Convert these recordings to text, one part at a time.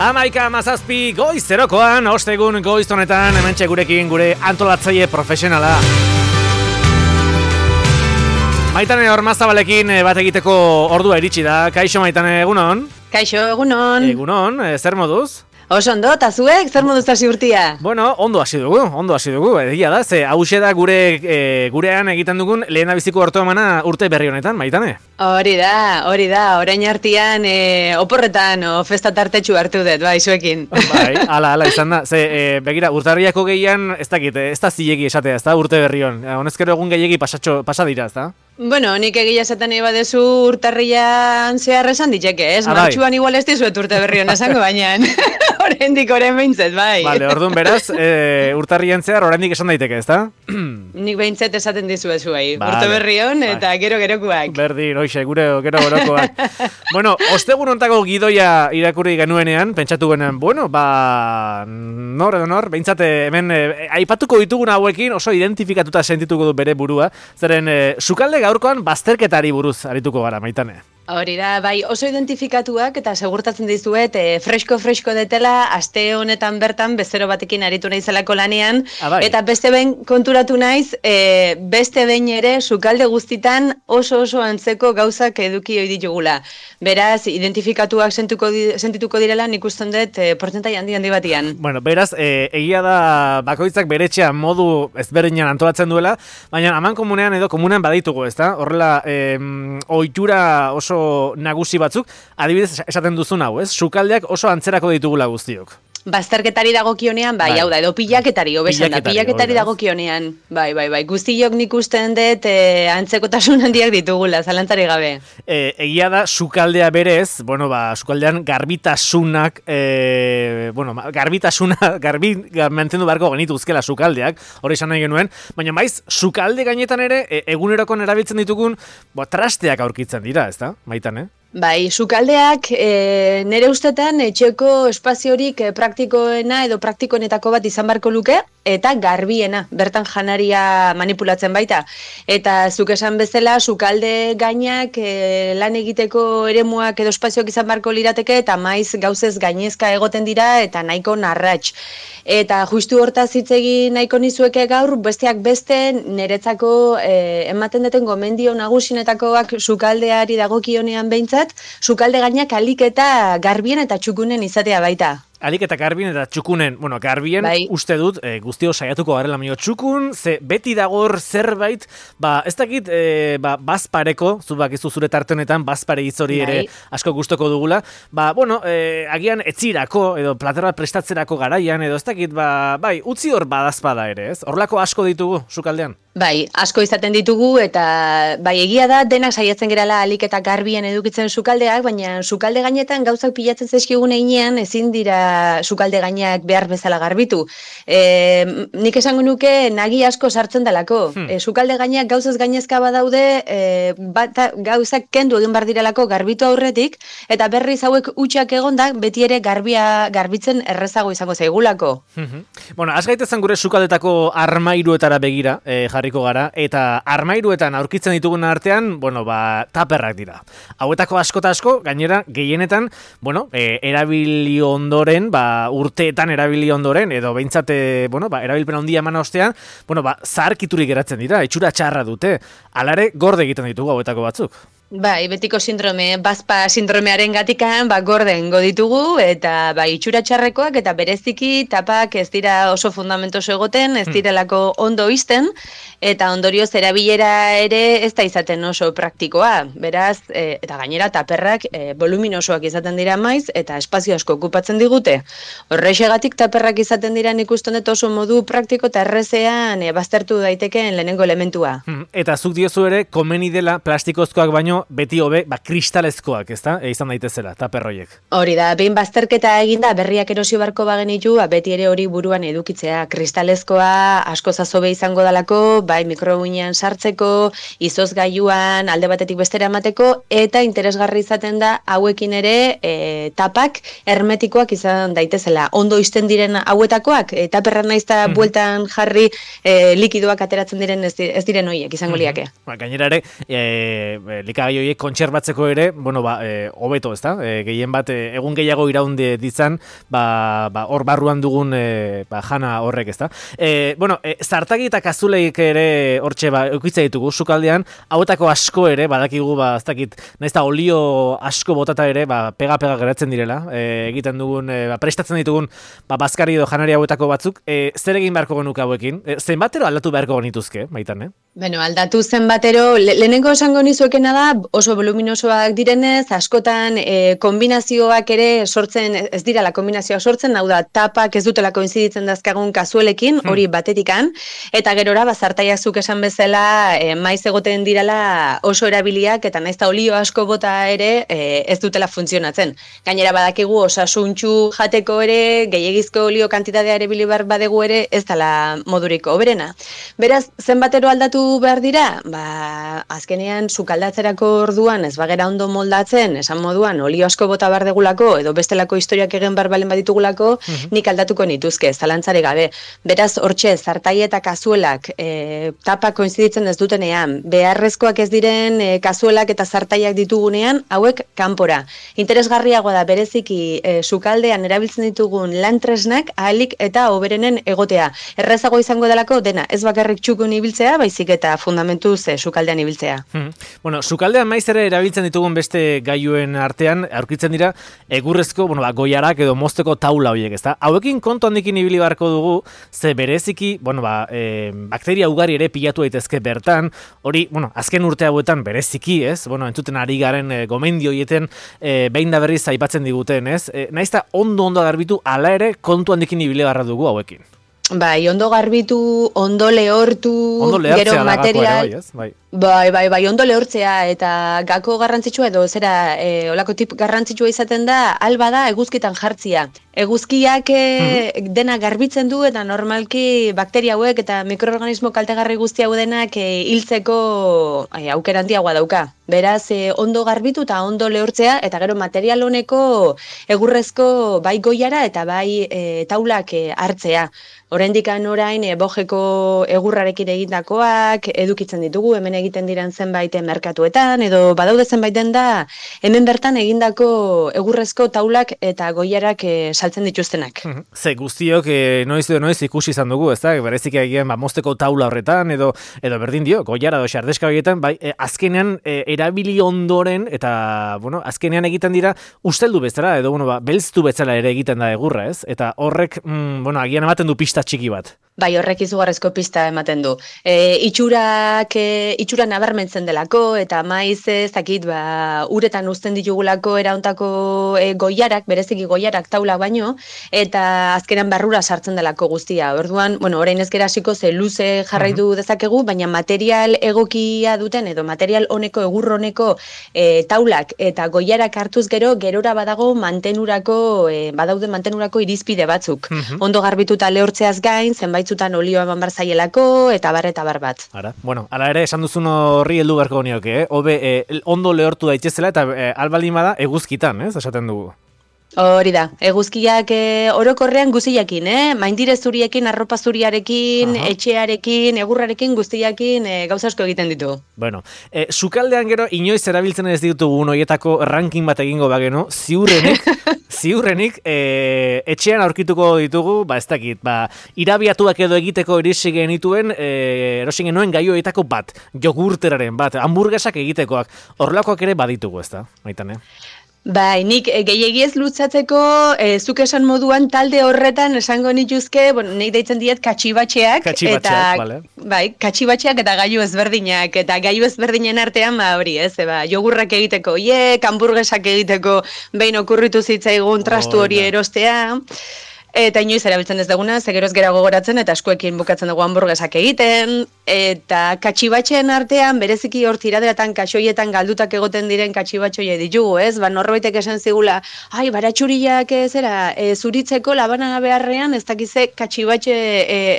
11:17 goizerokoan, ostegun goizonetan, hementxe gurekin gure antolatzaile profesionala. Maitane Ormazabalekin bat egiteko ordua iritsi da. Kaixo Maitane, egunon? Kaixo, egunon. Egunon, zer moduz? Oso ondo, eta zuek, zer moduz hasi urtia? Bueno, ondo hasi dugu, egia da, ze hause da gurean egiten dugun lehendabiziko ortoemana urte berri honetan, Maitane? Hori da, orain artean oporretan festa tartetxu hartu dut, bai, zuekin. Bai, ala izan da, ze begira, urtarriako gehian, ez dakit, ez da zilegi esatea, ez da urte berri hon, honezkero egun gehiagi pasa dira, ez da? Bueno, nik egia esaten eba dezu urtarrian zehar esan diteke, ez? Martxuan igual ez dizuet urte berri hon esango baina. Oraindik orain behintzet, bai. Vale, orduan beraz, urtarrian zehar oraindik esan daiteke, ez da? Nik behintzet esaten dizuet zuei. Vale. Urte berri hon eta gero-gerokoak. Berdin, hoxe, gero-gerokoak. Bueno, ostegun hontako gidoia irakurri genuenean, pentsatu genen, bueno, nor, behintzat hemen aipatuko ditugun hauekin oso identifikatuta sentituko du bere burua, zeren sukalde gaurkoan bazterketari buruz arituko gara, Maitane. Hori da, bai, oso identifikatuak eta segurtatzen dizuet fresko detela aste honetan bertan bezero batekin aritu naizelako lanean, eta beste behin konturatu naiz, beste behin ere sukalde guztitan oso antzeko gauzak eduki ohi ditugula. Beraz, identifikatuak sentituko direla nik usten dut portzentai handi batian. Bueno, beraz, egia da bakoitzak beretxean modu ezberdinan antolatzen duela, baina aman komunean edo komunean baditugu, ezta? Horrela, ohitura oso nagusi batzuk, adibidez esaten duzun hau, ez? Sukaldeak oso antzerako ditugula guztiok. Bazterketari dagokionean, bai, hau da, edo pilaketari, pilaketari dagokionean, bai, guztiok nik usten dut antzekotasun handiak ditugula, zalantzari gabe. Egia da, sukaldea berez, sukaldean garbitasunak, garbi mantendu beharko genituzkela sukaldeak, hori esan nahi genuen, baina maiz, sukalde gainetan ere, egunerokon erabiltzen ditugun, trasteak aurkitzen dira, ez da, Maitane? Bai, sukaldeak nire ustetan etxeko espaziorik praktikoena edo praktikoenetako bat izan beharko luke, eta garbiena, bertan janaria manipulatzen baita. Eta zuk esan bezala, sukalde gainak lan egiteko eremuak edo espazioak izan beharko lirateke, eta maiz gauzez gainezka egoten dira, eta nahiko narratx. Eta justu hortaz hitz egin nahiko nizueke gaur, besteak beste, niretzako ematen duten gomendio nagusinetakoak sukaldeari dagokionean behintzat, sukalde gainak alik eta garbien eta txukunen izatea baita. Alik eta garbien eta txukunen, garbien bai. Uste dut, guztio saiatuko garela mio txukun, ze beti dagor zerbait, ez dakit, bazpareko, bakizu zure tarte honetan, bazpare hori ere asko gustoko dugula, agian etzirako, edo plater bat prestatzerako garaian, edo ez dakit, utzi hor badazpada ere, ez? Horlako asko ditugu, sukaldean? Bai, asko izaten ditugu, eta egia da, denak saiatzen gerala alik eta garbien edukitzen sukaldeak, baina sukalde gainetan gauzak pilatzen zaizkigun einean, ezin dira sukalde gainak behar bezala garbitu. Nik esango nuke nagi asko sartzen delako. Sukalde gainak gauzaz gainezka badaude, gauzak kendu egin bar direlako garbitu aurretik, eta berriz hauek utxak egonda, beti ere garbitzen errezago izango zaigulako. Az gaitezen gure sukaldetako armairuetara begira, jarriko gara, eta armairuetan aurkitzen ditugun artean, taperrak dira. Hauetako asko eta asko, gainera, gehienetan, erabili ondoren, urteetan erabili ondoren, edo behintzat, erabilpen handia eman ostean, zaharkiturik geratzen dira, itxura txarra dute. Alare, gorde egiten ditugu hauetako batzuk. Bai, betiko sindrome, bazpa sindromearen gatikan, gorden goditugu, eta itxura txarrekoak, eta bereziki tapak ez dira oso fundamentoso egoten, ez direlako ondo izten, eta ondorioz erabilera ere ez da izaten oso praktikoa. Beraz, eta gainera taperrak voluminosoak izaten dira maiz, eta espazio asko okupatzen digute. Horrexegatik taperrak izaten dira nik uste dut oso modu praktiko eta errezean baztertu daitekeen lehenengo elementua. Eta zuk diozu ere, komeni dela plastikozkoak baino beti hobe, kristalezkoak, ezta? Izan daitezela, taperroiek. Hori da, behin bazterketa eginda berriak erosio barko bagenitu, beti ere hori buruan edukitzea. Kristalezkoa asko zazobe izango dalako, mikroguinean sartzeko, izozgailuan alde batetik bestera emateko, eta interesgarri izaten da hauekin ere tapak hermetikoak izan daitezela. Ondo izten diren hauetakoak, taperra naizta bueltan jarri likidoak ateratzen diren ez diren horiek izango liake. Gainera ere, likagai gai horiek kontserbatzeko ere, bueno, hobeto, ezta? Gehien bat, egun gehiago iraunde ditzan, hor barruan dugun jana horrek, ezta? Zartagi eta kazuleik ere hortxe eukitza ditugu sukaldean, hauetako asko ere, badakigu, ez dakit, nahiz eta olio asko botata ere, pega-pega geratzen direla, egiten dugun, prestatzen ditugun, bazkari edo janari hauetako batzuk, zer egin beharko genuke hauekin? Zenbatero aldatu beharko genituzke, baitan, Aldatu zenbatero, lehenengo esango nizuekena da, oso voluminosoak direnez, askotan kombinazioak ere sortzen, ez dirala kombinazioak sortzen, hau da, tapak ez dutela koinziditzen dazkagun kazuelekin, hori batetikan, eta gerora, zartaiak zuk esan bezala, maiz egoten dirala oso erabiliak, eta nahiz eta olio asko bota ere, ez dutela funtzionatzen. Gainera badakigu, osasuntxu jateko ere, gehiagizko olio kantitatea ere bilibar badegu ere, ez dela moduriko oberena. Beraz, zenbatero aldatu behar dira, azkenean sukaldatzerako orduan ez bagera ondo moldatzen, esan moduan olio asko bota behar degulako, edo bestelako historiak egin behar balen baditugulako, nik aldatuko nituzke, zalantzare gabe. Beraz, hortxe, zartai eta kazuelak tapak koinziditzen ez dutenean, beharrezkoak ez diren kazuelak eta zartaiak ditugunean, hauek kanpora. Interesgarriagoa da bereziki sukaldean erabiltzen ditugun lantresnak ahalik eta hoberenen egotea. Errezago izango delako dena, ez bakarrik txukun ibiltzea, baizik eta fundamentuz sukaldean ibiltzea. Sukaldean maiz ere erabiltzen ditugun beste gailuen artean, aurkitzen dira, egurrezko, goiarak edo mozteko taula horiek, ezta? Hauekin kontu handikin ibili beharko dugu, ze bereziki, bakteria ugari ere pilatu daitezke bertan, hori, azken urte hauetan bereziki, ez? Entzuten ari garen gomendio hieten behin da berriz aipatzen diguten, ez? Naizta ondo garbitu, ala ere kontu handikin ibili beharra dugu hauekin. Ondo garbitu, ondo lehortu, gero material... Bai, ondo lehortzea eta gako garrantzitsua edo zera olako tip garrantzitsua izaten da, alba da eguzkitan jartzia. Eguzkiak dena garbitzen du eta normalki bakteria hauek eta mikroorganismo kaltegarri guzti hau denak hiltzeko aukera handiagoa dauka. Beraz, ondo garbitu eta ondo lehortzea eta gero material honeko egurrezko bai goiara eta bai taulak hartzea. Oraindikan orain bojeko egurrarekin egindakoak edukitzen ditugu, hemen egiten diren zenbait merkatuetan, edo badaude zenbait da hemen bertan egindako egurrezko taulak eta goiarak saltzen dituztenak. Ze guztiok noiz ikusi izan dugu, ezta? Berezik egin mozteko taula horretan, edo berdin dio, goiara edo xardeska horietan, bai, azkenean erabili ondoren, eta, azkenean egiten dira usteldu bezala, edo, belztu bezala ere egiten da egurra, ez? Eta horrek, agian ematen du pista txiki bat. Bai, horrek izugarrezko pista ematen du. Itxura nabarmentzen delako, eta maiz ez dakit, uretan uzten ditugulako erauntako goiarak, bereziki goiarak taula baino, eta azkenan barrura sartzen delako guztia. Orduan, orain ez gera hasiko ze luze jarraitu dezakegu, baina material egokia duten, edo material honeko, egur honeko taulak eta goiarak hartuz gerora badago badaude mantenurako irizpide batzuk. Ondo garbituta lehortzeaz gain, zenbaitzutan olioa eman bar zaielako, eta bar bat. Ala ere, esan duzun horri heldu beharko nioke, hobe ondo lehortu daitezela, eta albaldin bada eguzkitan, ez, esaten dugu. Hori da, eguzkiak orokorrean guziakin, maindire zuriekin, arropa zuriarekin, etxearekin, egurrarekin, guztiakin gauza asko egiten ditu. Sukaldean gero, inoiz erabiltzen ez ditugu horietako ranking bat egingo bageno, ziurrenik etxean aurkituko ditugu, ez dakit, irabiatuak edo egiteko erisi genituen, erosi genuen gai horietako bat, jogurteraren bat, hamburguesak egitekoak, horrelakoak ere baditugu, ez da, Maitane? Bai, nik gehiagiez lutzatzeko, zuk esan moduan talde horretan esango nituzke, nik deitzen diet katxibatxeak. Bai, katxibatxeak eta gailu ezberdinak, eta gailu ezberdinen artean, hori ez, jogurrak egiteko, hamburguesak egiteko, behin okurritu zitzaigun trastu hori erostea, eta inoiz erabiltzen ez duguna, zegeroz gera gogoratzen, eta eskuekin bukatzen dugu hamburguesak egiten, eta katxibatxeen artean, bereziki hor tiraderatan kaxoietan galdutak egoten diren katxibatxoie ditugu, ez? Norbaitek esan zigula, baratxuriak zuritzeko labana beharrean, ez dakize katxibatxe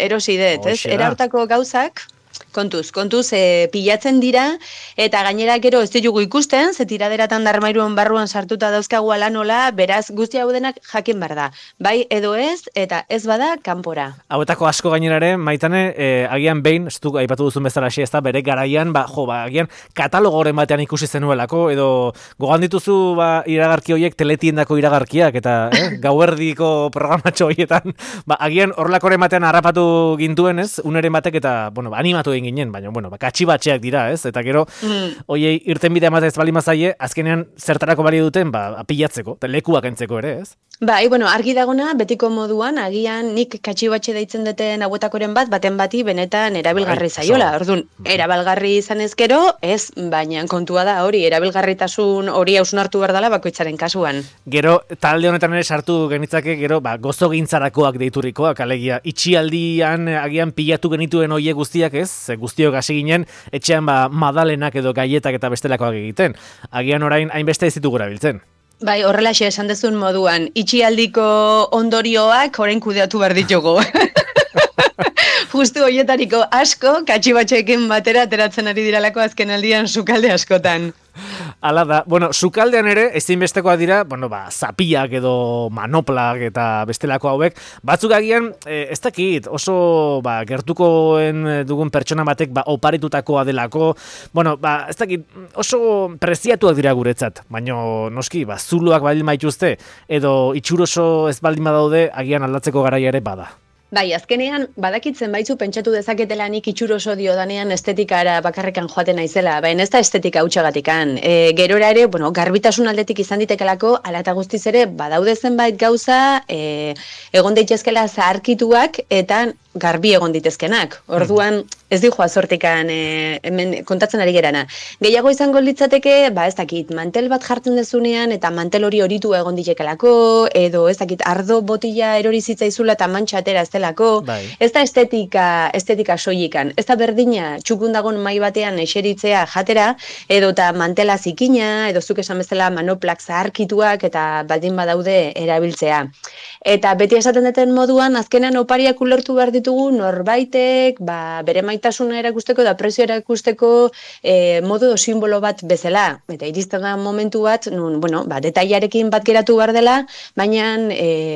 erosi dut, ez? Era hortako gauzak, Kontuz, pilatzen dira, eta gainera gero ez ditugu ikusten, ze tiraderatan da armairuan barruan sartuta dauzkagu ala nola, beraz guzti hau denak jakin behar da. Bai edo ez, eta ez bada kanpora. Hauetako asko gainerare, Maitane, agian behin, ez du aipatu duzun bezala ez da, bere garaian, agian katalogoren batean ikusi zenuelako, edo gogan dituzu iragarki horiek teletiendako iragarkiak, eta gauerdiko programatxo horietan, agian horrelakoren batean harrapatu gintuen, ez, uneren batek, eta, animatu ginen, baina, katxibatxeak dira, ez? Eta gero, hoiei irten bidea ematen ez bali mazaie, azkenean zertarako bali duten, pilatzeko, lekuak entzeko ere, ez? Bai, argi dagona, betiko moduan, agian nik katxibatxe deitzen duten hauetakoren baten bati, benetan erabilgarri zaiola. Orduan, erabilgarri izan ezkero, ez, baina kontua da hori, erabilgarritasun hori hausnartu behar dela bakoitzaren kasuan. Gero, talde honetan ere sartu genitzake, gero, gozo gintzarakoak deiturikoak, alegia, itxialdian agian pilatu genituen hoiek guztiak, ez? Guztiok hasi ginen, etxean madalenak edo gaietak eta bestelakoak egiten. Agian orain hainbeste ez ditugu erabiltzen. Bai, horrelaxe esan dezun moduan, itxialdiko ondorioak orain kudeatu behar ditugu. Justu horietariko asko, katxibatxeekin batera ateratzen ari diralako azken aldian sukalde askotan. Hala da, sukaldean ere, ezinbestekoak dira, zapiak edo manoplak eta bestelako hauek, batzuk agian, ez dakit, oso gertukoen dugun pertsona batek oparitutakoa delako, ez dakit, oso preziatuak dira guretzat, baina noski, zuloak baldin maituzte, edo itxuroso ez baldin badaude, agian aldatzeko garaia ere bada. Bai, azkenean, badakitzen baitzu pentsatu dezaketela nik itxuroso diodanean estetikara bakarrekan joaten naizela, baina ez da estetika hutxagatikan. Gerora ere, garbitasun aldetik izan ditekelako, ala eta guztiz ere, badaude zenbait gauza, egon daitezkela zaharkituak, eta garbi egon ditezkenak. Orduan, ez dihoa zortikan hemen kontatzen ari gerana. Gehiago izango litzateke, ez dakit, mantel bat jartzen dezunean, eta mantel hori horitu egon ditekelako, edo ez dakit, ardo botila erori zitzaizula eta mantxa atera ez delako. Ez da estetika soilikan. Ez da berdina txukundagon mai batean eseritzea jatera, edo eta mantela zikina, edo zuk esan bezala manoplak zaharkituak, eta baldin badaude erabiltzea. Eta beti esaten duten moduan, azkenan opariak ulertu behar ditugu norbaitek, bere maitasuna erakusteko da prezio erakusteko modu simbolo bat bezala. Eta iristen da momentu bat, nun, detailarekin bat geratu behar dela, baina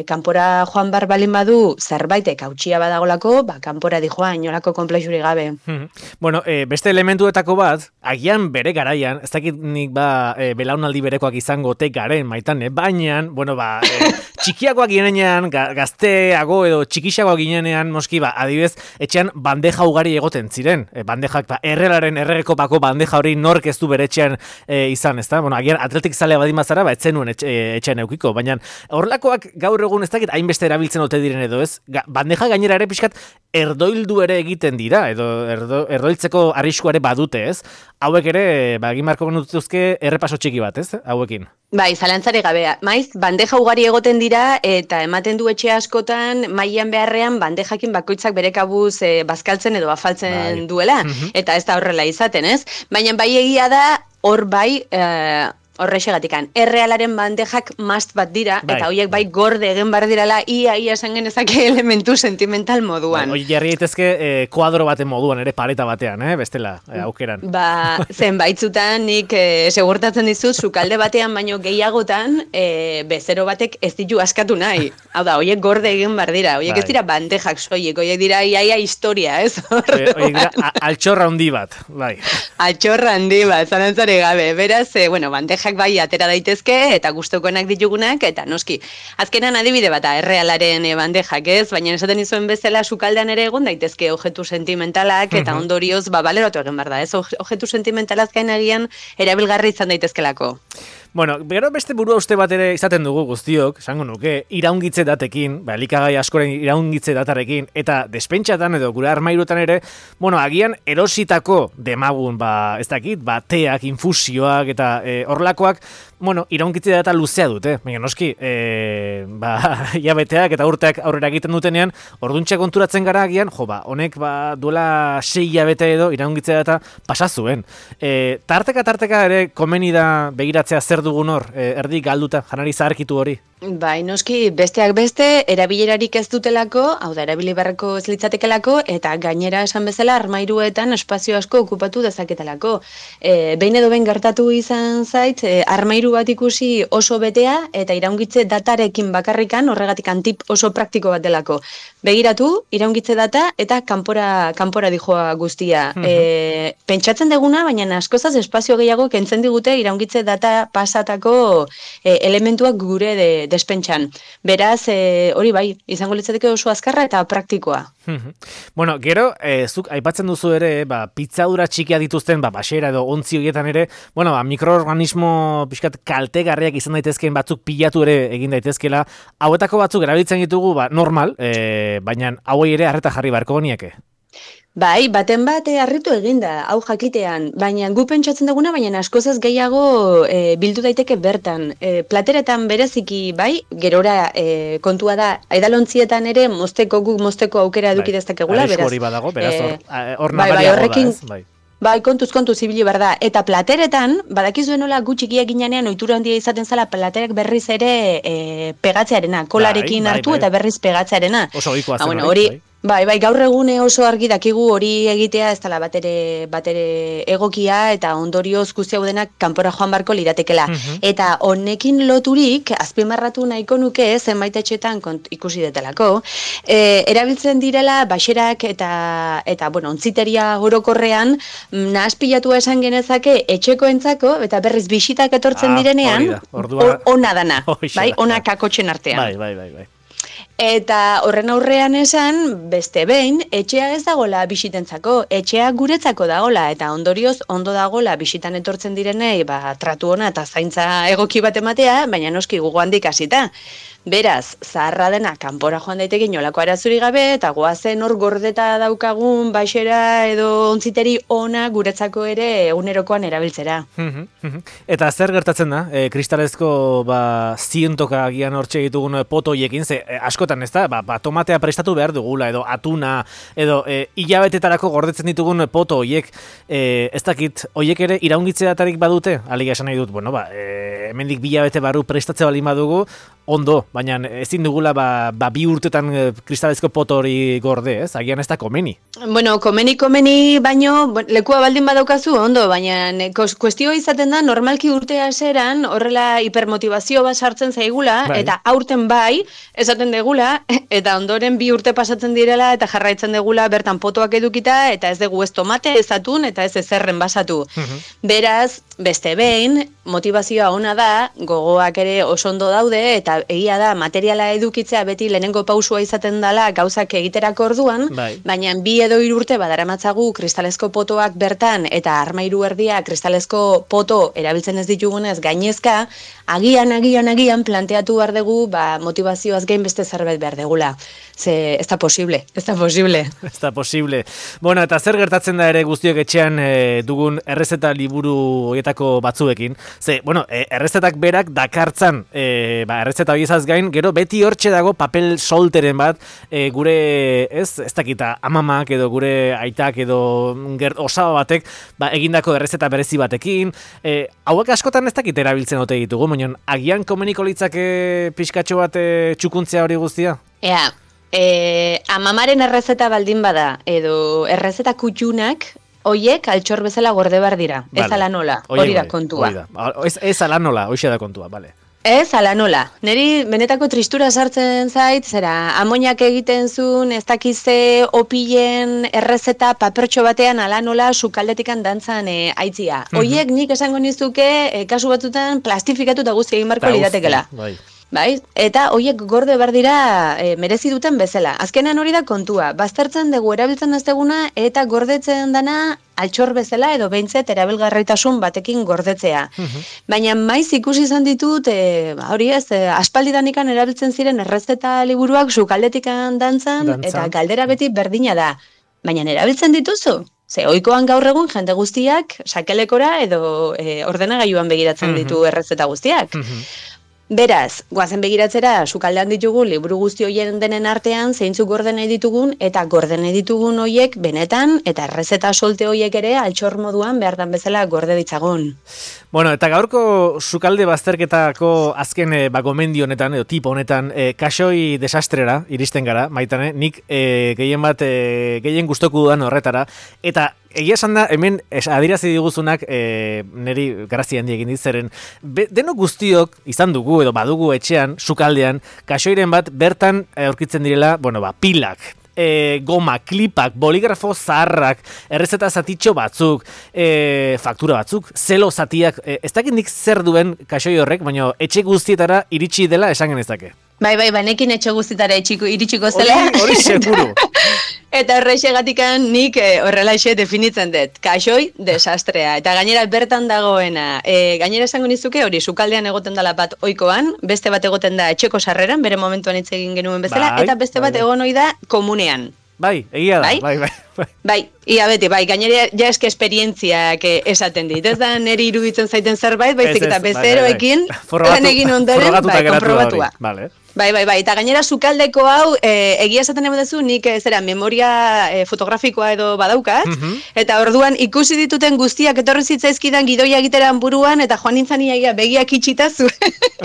kanpora joan bar balin badu zerbaitek hautsia badagolako, kanpora dijoa inolako konplexurik gabe. Beste elementuetako bat, agian bere garaian, ez dakit nik belaunaldi berekoak izango garen Maitane, baina, txikiagoak ginenean, gazteago edo txikixagoak ginenean, moski, adibidez, etxean bandeja ugari egoten ziren. Bandejak, errelaren erregekopako bandeja hori nork ez du bere etxean izan, ez da? Agian atletik zalea badin bazara, ez zenuen etxean eukiko, baina horrelakoak gaur egun ez dakit hainbeste erabiltzen ote diren edo ez, bandeja gainera ere pixkat erdoildu ere egiten dira, edo erdoiltzeko arriskuare badute, ez? Hauek ere, egin marko genutuzke errepaso txiki bat, ez? Hauekin. Bai, zalantzari gabea. Maiz, bandeja ugari egoten dira eta ematen du etxe askotan mailan beharrean bandejakin bakoitzak bere kabuz bazkaltzen edo afaltzen duela. Eta ez da horrela izaten, ez? Baina bai egia da, hor bai... Horrexegatikan, errealaren bandejak mast bat dira, eta horiek bai gorde egin bar dirala, ia esan genezake elementu sentimental moduan. Hoi jarri daitezke kuadro baten moduan, ere pareta batean, bestela, aukeran. Zenbaitzutan nik segurtatzen dizut, sukalde batean baino gehiagotan, bezero batek ez ditu askatu nahi. Hau da, horiek gorde egin bar dira, horiek ez dira bandejak soilik, horiek dira iaia historia, ez? Horiek dira altxorra handi bat, bai. Altxorra handi bat, zalantzari gabe, beraz, bandejak bai atera daitezke eta gustokoenak ditugunak eta noski. Azkenan adibide bata errealaren bandejak, ez? Baina esaten izuen bezala sukaldean ere egon daitezke objektu sentimentalak eta ondorioz baleratu egin behar da, ez? Objektu sentimentalak gainagian erabilgarri izan daitezkelako. Gero beste burua uste bat ere izaten dugu guztiok, esango nuke, iraungitze datekin, elikagai askoren iraungitze datarekin, eta despentxatan edo gure armairuetan ere, agian erositako demagun, ez dakit, teak, infusioak eta horrelakoak, iraungitze data luzea dute, baina noski, jabeteak eta urteak aurrera egiten dutenean, orduntxe konturatzen gara agian, honek duela 6 jabete edo iraungitze data pasazuen. Tarteka ere komeni da begiratzea zer dugun hor, erdi galduta, janari zaharkitu hori. Bai, noski, besteak beste, erabilerarik ez dutelako, hau da, erabili beharreko ez litzatekelako, eta gainera esan bezala armairuetan espazio asko okupatu dezaketelako. Behin edo behin gertatu izan zait, armairu bat ikusi oso betea, eta iraungitze datarekin bakarrikan, horregatik tip oso praktiko bat delako. Begiratu, iraungitze data, eta kanpora dijoa guztia. Pentsatzen deguna, baina askozaz espazio gehiago kentzen digute iraungitze data pasatako elementuak gure despentsan. Beraz, hori bai, izango litzateke oso azkarra eta praktikoa. Bueno, gero, zuk aipatzen duzu ere, pitzadura txikia dituzten, baxera edo ontzi horietan ere, mikroorganismo pixkat kaltegarriak izan daitezkeen batzuk pilatu ere egin daitezkela, hauetako batzuk erabiltzen ditugu, normal, baina hauei ere harreta jarri beharko gonieke. Bai, baten bat harritu eginda, hau jakitean, baina gu pentsatzen duguna, baina askozaz gehiago bildu daiteke bertan. Plateretan bereziki, bai, gerora kontua da, aidalontzietan ere mozteko aukera eduki dezakegula, beraz. Hori badago, beraz, hor bai, nabariago da, ez? Bai. Bai, kontuz ibili behar da. Eta plateretan, badakizuen nola gutxikia ginean ohitura handia izaten zala platerek berriz ere pegatzearena, kolarekin hartu eta berriz pegatzearena. Oso ohikoa zen hori. Bai, gaur egune oso argi dakigu hori egitea ez dela batere egokia eta ondorioz guzti hau denak kanpora joan barko liratekela. Eta honekin loturik, azpimarratu nahiko nuke zenbait etxetan ikusi detelako, erabiltzen direla baxerak eta ontziteria orokorrean nahaspilatua esan genezake etxekoentzako eta berriz bisitak etortzen direnean ona dana, bai, ona kakotxen artean. Bai. Eta horren aurrean esan, beste behin, etxea ez dagola bisitentzako, etxea guretzako dagola, eta ondorioz ondo dagola bisitan etortzen direnei, tratu ona eta zaintza egoki bat ematea, baina noski gugu handik hasita. Beraz, zaharra dena kanpora joan daiteke inolako arazuri gabe, eta goazen hor gordeta daukagun baxera edo ontziteri ona guretzako ere egunerokoan erabiltzera. Eta zer gertatzen da, kristalezko zientoka agian hortxe ditugun potoiekin, ze askotan ez da, tomatea prestatu behar dugula, edo atuna, edo hilabetetarako gordetzen ditugun poto hoiek, ez dakit, hoiek ere iraungitze datarik badute, aliga esan nahi dut, hemendik 2 hilabete barru prestatze baldin badugu, ondo, baina ezin dugula 2 urtetan kristalezko poto hori gorde, ez? Agian ez da komeni. Komeni, baino lekua baldin badaukazu, ondo, baina kuestioa izaten da, normalki urte haseran horrela hipermotivazio bat sartzen zaigula, eta aurten bai, esaten degula, eta ondoren 2 urte pasatzen direla, eta jarraitzen degula bertan potoak edukita, eta ez dugu ez tomate, ez atun, eta ez ezerren basatu. Beraz, beste behin, motivazioa ona da, gogoak ere oso ondo daude, eta egia da, materiala edukitzea beti lehenengo pausua izaten dela gauzak egiterako orduan, baina 2 edo 3 urte badaramatzagu kristalezko potoak bertan, eta armairu erdia kristalezko poto erabiltzen ez ditugunez gainezka, agian planteatu behar dugu, motivazioaz gain beste zerbait behar degula. Ze, ez da posible. Ez da posible. Bueno, eta zer gertatzen da ere guztiok etxean dugun errezeta liburu horietako batzuekin. Ze, errezetak berak dakartzan, errezeta horiezaz gain, gero beti hortxe dago papel solteren bat, gure, ez dakita, amamak edo gure aitak edo osaba batek, egindako errezeta berezi batekin. Hauek askotan ez dakit erabiltzen ote ditugu, baina agian komeniko litzake pixkatxo bat txukuntzea hori guztia? Amamaren errezeta baldin bada, edo errezeta kutxunak, hoiek altxor bezala gorde behar dira, ez ala nola, hori da kontua. Ez ala nola, hoxe da kontua, bale. Ez ala nola, niri benetako tristura sartzen zait, zera, amoniak egiten zuen, ez dakize opilen errezeta papertxo batean ala nola sukaldetikan dantzan aitzia. Hoiek nik esango nizuke, kasu batzutan plastifikatu eta guzti egin barko liratekela. Bai, eta hoiek gorde behar dira merezi duten bezala. Azkenean hori da kontua, baztertzen dugu erabiltzen ez deguna eta gordetzen dana altxor bezala edo behintzet erabilgarritasun batekin gordetzea. Baina maiz ikusi izan ditut, hori ez, aspaldidanikan erabiltzen ziren errezeta liburuak sukaldetikan dantzan eta galdera beti berdina da. Baina erabiltzen dituzu? Ze ohikoan gaur egun jende guztiak sakelekora edo ordenagailuan begiratzen ditu errezeta guztiak. Beraz, goazen begiratzera, sukaldean ditugu liburu guzti hoien denen artean, zeintzuk gorde nahi ditugun, eta gorde nahi ditugun hoiek benetan, eta errezeta solte hoiek ere altxor moduan behartan bezala gorde ditzagun. Bueno, eta gaurko sukalde bazterketako azken gomendio honetan, edo tipo honetan, kaxoi desastrera iristen gara, Maitane, nik gehien gustoku dudan horretara, eta egia esan da, hemen adirazi diguzunak niri grazia handi egin ditzeren, denok guztiok izan dugu edo badugu etxean, sukaldean, kaxoiren bat bertan aurkitzen direla, pilak, goma, klipak, boligrafo zaharrak, errezeta zatitxo batzuk, faktura batzuk, zelo zatiak, ez dakit nik zer duen kaxoi horrek, baina etxe guztietara iritsi dela esan genezake. Bai, banekin etxe guztietara iritsiko zela. Hori seguru. Eta horrexegatikan nik horrelaxe definitzen dut. Kaxoi desastrea. Eta gainera bertan dagoena. Gainera esango nizuke hori sukaldean egoten dela bat oikoan, beste bat egoten da etxeko sarreran, bere momentuan hitz egin genuen bezala, eta beste bat egon ohi da komunean. Bai, egia da, bai. Ia beti, gainera ja eske esperientziak esaten dit. Ez da neri iruditzen zaiten zerbait, baizik eta bezeroekin lan egin ondoren, konprobatua. Bai, eta gainera sukaldeko hau, egia esaten emedezu, nik memoria fotografikoa edo badaukat, eta orduan ikusi dituten guztiak etorri zitzaizkidan gidoia egiteran buruan, eta joan nintzen iaia begiak itxita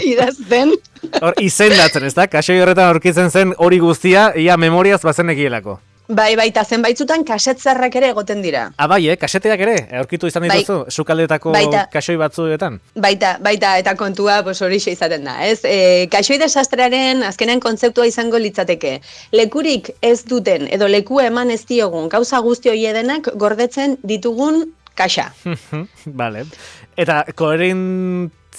idazten. Hor, izendatzen, ez da? Kaxoi horretan aurkitzen zen hori guztia, ia memoriaz bazen egielako. Bai, eta zenbaitzutan kasetzarrak ere egoten dira. Bai, kaseteak ere, aurkitu izan dituzu, sukaldetako kaxoi batzuetan. Baita, eta kontua horixe izaten da, ez? Kaxoi desastrearen azkenean kontzeptua izango litzateke. Lekurik ez duten, edo leku eman ez diogun, gauza guzti hori edenak gordetzen ditugun kaxa. Vale. Eta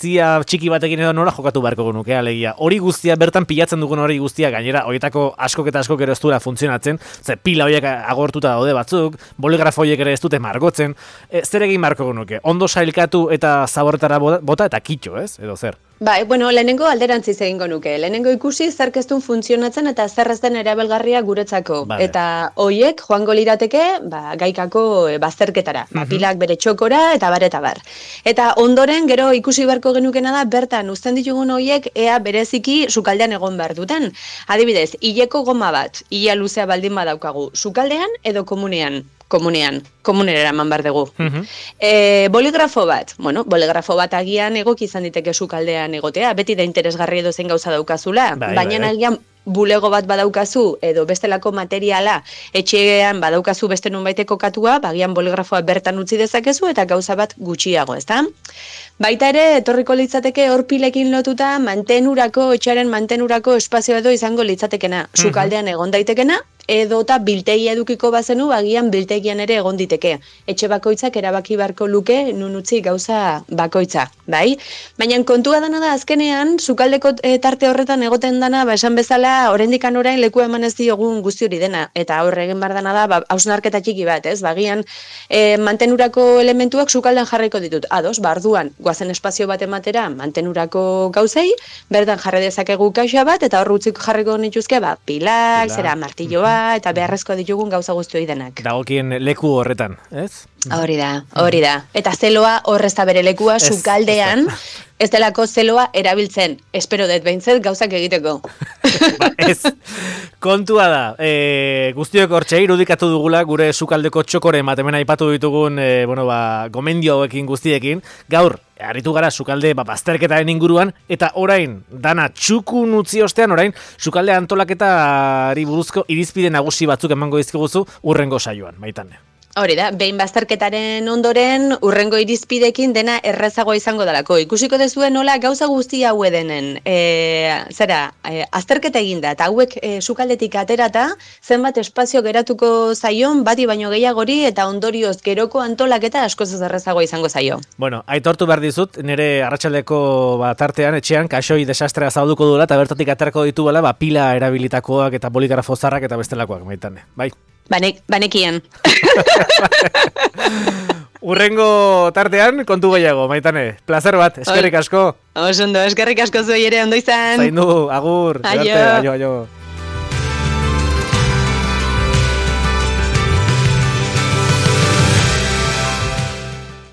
txiki batekin edo nola jokatu beharko genuke, alegia. Hori guztia, bertan pilatzen dugun hori guztia, gainera, horietako askok eta askok ere ez duela funtzionatzen, pila horiek agortuta daude batzuk, boligrafo horiek ere ez dute margotzen, zer egin beharko genuke? Ondo sailkatu eta zaborretara bota eta kitxo, ez? Edo zer? Bai, lehenengo alderantziz egingo nuke. Lehenengo ikusi zer ez duen funtzionatzen eta zer ez den erabilgarria guretzako. Vale. Eta hoiek joango lirateke gaikako bazterketara. Pilak bere txokora eta bar. Eta ondoren gero ikusi beharko genukena da bertan uzten ditugun hoiek ea bereziki sukaldean egon behar duten. Adibidez, hileko goma bat, hila luzea baldin badaukagu, sukaldean edo komunean? Komunera eman behar dugu. Boligrafo bat agian egok izan diteke sukaldean egotea, beti da interesgarri edo zen gauza daukazula, baina agian bulego bat badaukazu edo bestelako materiala etxean badaukazu beste nunbaiteko katua, bagian boligrafoa bertan utzi dezakezu eta gauza bat gutxiago, ezta? Baita ere, etorriko litzateke hor pilekin lotuta etxearen mantenurako espazio edo izango litzatekena, sukaldean egon daitekena, edota biltegia edukiko bazenu, agian biltegian ere egon diteke. Etxe bakoitzak erabaki beharko luke nun utzi gauza bakoitza, bai? Baina kontua dana da azkenean, sukaldeko tarte horretan egoten dana, esan bezala, oraindikan orain leku eman ez diogun guzti hori dena, eta hor egin behar dana da, hausnarketa txiki bat, ez? Bagian, mantenurako elementuak sukaldean jarriko ditut. Ados, barduan, goazen espazio bat ematera, mantenurako gauzei, bertan jarri dezakegu kaxa bat, eta hor utzik jarriko nituzke, pilak, zera, martilloa, eta beharrezko ditugun gauza guzti hori denak. Dagokien leku horretan, ez? Hori da. Eta zeloa horrez da bere lekua sukaldean, ez delako zeloa erabiltzen. Espero dut behintzet gauzak egiteko. Ez, kontua da, guztiok hortxe irudikatu dugula gure sukaldeko txokoren bat hemen aipatu ditugun gomendio hauekin guztiekin. Gaur, aritu gara sukalde bazterketaren inguruan, eta orain, dana txukun utzi ostean, orain, sukalde antolaketari buruzko irizpide nagusi batzuk emango dizkiguzu urrengo saioan, Maitane. Hori da, behin bazterketaren ondoren urrengo irizpidekin dena errezagoa izango dalako. Ikusiko dezue nola gauza guzti hau edenen, azterketa eginda, eta hauek sukaldetik aterata, zenbat espazio geratuko zaion, bati baino gehiagori, eta ondorioz geroko antolaketa askoz errezagoa izango zaio. Bueno, aitortu behar dizut, nire arratsaldeko tartean, etxean, kaxoi desastrea zauduko duela, eta bertatik aterako dituela, pila erabilitakoak eta boligrafo zarrak eta bestelakoak, Maitane, bai? Banekien. Urrengo tartean, kontu gehiago, Maitane. Plazer bat, eskerrik asko. Oso ondo, eskerrik asko zuei ere, ondo izan. Zaindu, agur. Aio. Aio.